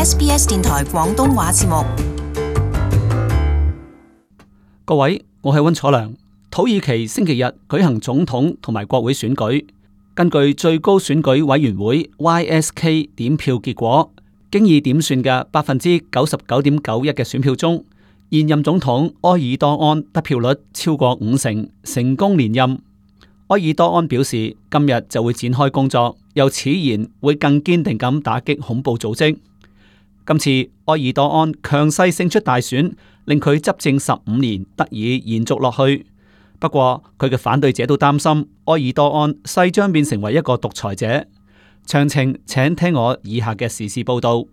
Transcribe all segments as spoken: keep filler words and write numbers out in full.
S B S 電台廣東話節目。各位，我係溫楚良。土耳其星期日舉行總統同埋國會選舉，根據最高選舉委員會 Y S K 點票結果，經已點算嘅百分之九十九點九一嘅選票中，現任總統埃爾多安得票率超過五成，成功連任。埃爾多安表示，今日就會展開工作，又此言會更堅定咁打擊恐怖組織。今次埃爾多安強勢勝出大選，令佢執政十五年得以延續落去。不過佢嘅反對者都擔心埃爾多安勢將變成為一個獨裁者。詳情請聽我以下嘅時事報道。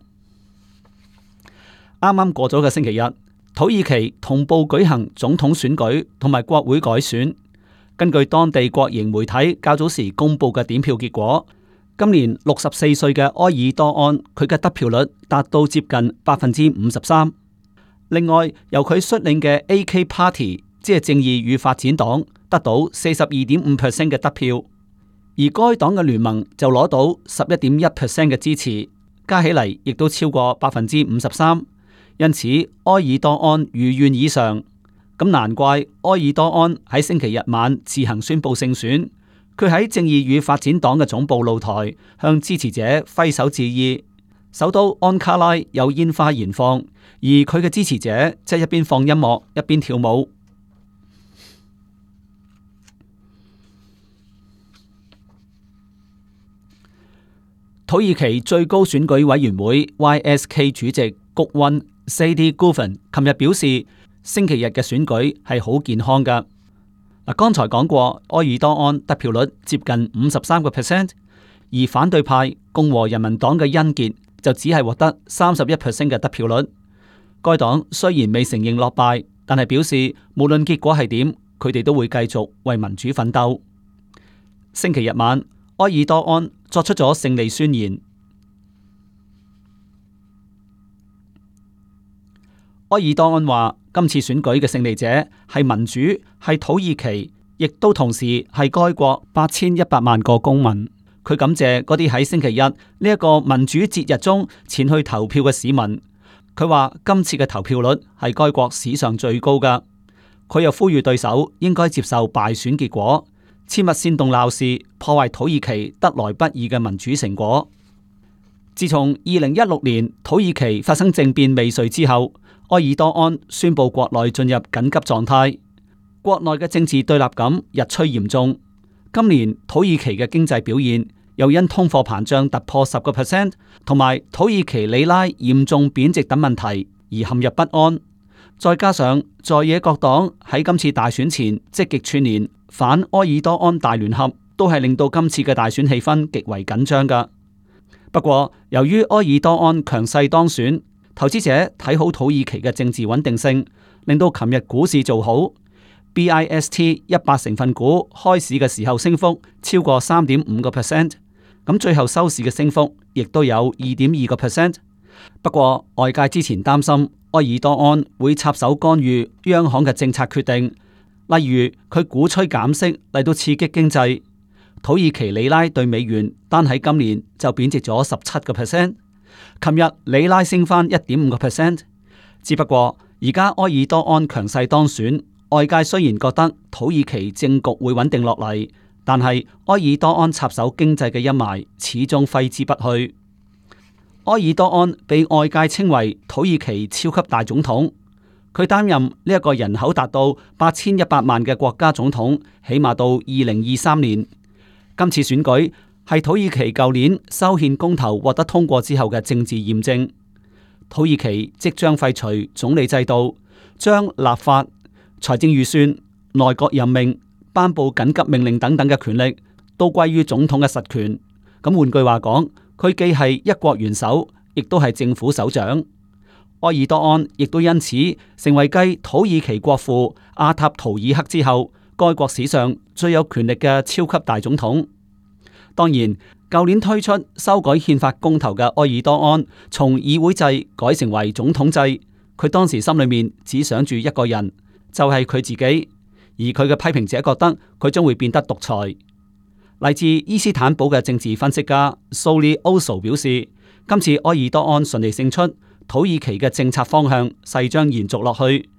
啱啱過咗嘅星期日，土耳其同步舉行總統選舉同埋國會改選。根據當地國營媒體較早時公布嘅點票結果，今年六十四歲嘅埃爾多安，佢嘅得票率達到接近百分之五十三。另外，由佢率領嘅 A K Party， 即係正義與發展黨，得到四十二點五 percent 嘅得票，而該黨嘅聯盟就攞到十一點一 percent 嘅支持，加起嚟亦都超過百分之五十三。因此，埃爾多安如願以償。咁難怪埃爾多安喺星期日晚自行宣布勝選。佢喺正義與發展黨嘅總部露台向支持者揮手致意。首都安卡拉有煙花燃放，而佢嘅支持者即係一邊放音樂一邊跳舞。土耳其最高選舉委員會 Y S K 主席谷溫 Sadi Guven 琴日表示，星期日嘅選舉係好健康㗎。嗱，剛才講過，埃爾多安得票率接近五十三個 percent， 而反對派共和人民黨嘅恩傑就只係獲得三十一 percent 嘅得票率。該黨雖然未承認落敗，但係表示無論結果係點，佢哋都會繼續為民主奮鬥。星期日晚，埃爾多安作出咗勝利宣言。埃爾多安話：今次選舉嘅勝利者係民主，係土耳其，亦都同時係該國八千一百萬個公民。佢感謝嗰啲喺星期日呢一個民主節日中前去投票嘅市民。佢話今次嘅投票率係該國史上最高㗎。佢又呼籲對手應該接受敗選結果，切勿煽動鬧事，破壞土耳其得來不易嘅民主成果。自從二零一六年土耳其發生政變未遂之後，埃爾多安宣布國內進入緊急狀態，國內嘅政治對立感日趨嚴重。今年土耳其嘅經濟表現又因通貨膨脹突破十個 percent， 同埋土耳其里拉嚴重貶值等問題而陷入不安。再加上在野各黨喺今次大選前積極串聯反埃爾多安大聯合，都係令到今次嘅大選氣氛極為緊張㗎。不過，由於埃爾多安強勢當選，投資者睇好土耳其嘅政治穩定性，令到琴日股市做好。B I S T 一百成分股開市嘅時候升幅超過三點五個 percent， 咁最後收市嘅升幅亦都有二點二個 percent。不過外界之前擔心埃爾多安會插手干預央行嘅政策決定，例如佢鼓吹減息嚟到刺激經濟。土耳其里拉對美元單喺今年就貶值咗十七個 percent。琴日里拉升翻一點五個 percent， 只不過而家埃爾多安強勢當選，外界雖然覺得土耳其政局會穩定落嚟，但係埃爾多安插手經濟嘅陰霾始終揮之不去。埃爾多安被外界稱為土耳其超級大總統，佢擔任呢一個人口達到八千一百萬嘅國家總統，起碼到二零二三年。今次選舉係土耳其舊年修憲公投獲得通過之後嘅政治驗證。土耳其即將廢除總理制度，將立法、財政預算、內閣任命、頒布緊急命令等等嘅權力都歸於總統嘅實權。咁換句話講，佢既係一國元首，亦都係政府首長。埃爾多安亦都因此成為繼土耳其國父阿塔圖爾克之後，該國史上最有權力嘅超級大總統。當然，舊年推出修改憲法公投嘅埃爾多安，從議會制改成為總統制，佢當時心裏面只想住一個人，就係佢自己。而佢嘅批評者覺得佢將會變得獨裁。嚟自伊斯坦堡嘅政治分析家蘇利歐索表示，今次埃爾多安順利勝出，土耳其嘅政策方向勢將延續落去。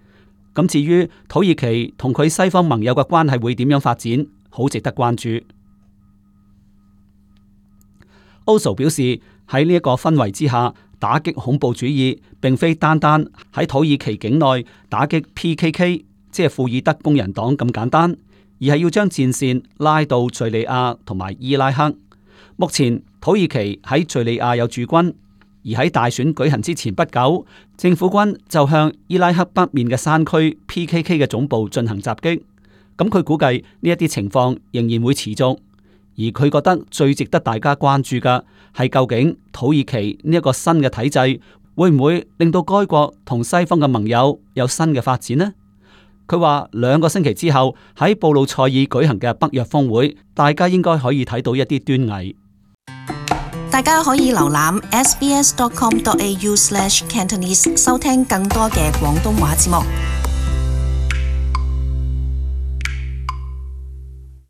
咁至於土耳其同佢西方盟友嘅關係會點樣發展，好值得關注。歐蘇表示，喺呢一個氛圍之下，打擊恐怖主義並非單單喺土耳其境內打擊 P K K， 即係庫爾德工人黨咁簡單，而係要將戰線拉到敘利亞同埋伊拉克。目前土耳其喺敘利亞有駐軍，而喺大選舉行之前不久，政府軍就向伊拉克北面嘅山區 P K K 嘅總部進行襲擊。咁佢估計呢一啲情況仍然會持續。而佢覺得最值得大家關注嘅係，究竟土耳其呢一個新嘅體制會唔會令到該國同西方嘅盟友有新嘅發展呢？佢話兩個星期之後喺布魯塞爾舉行嘅北約峰會，大家應該可以睇到一啲端倪。大家可以瀏覽 s b s dot com dot a u slash cantonese 收聽更多嘅廣東話節目。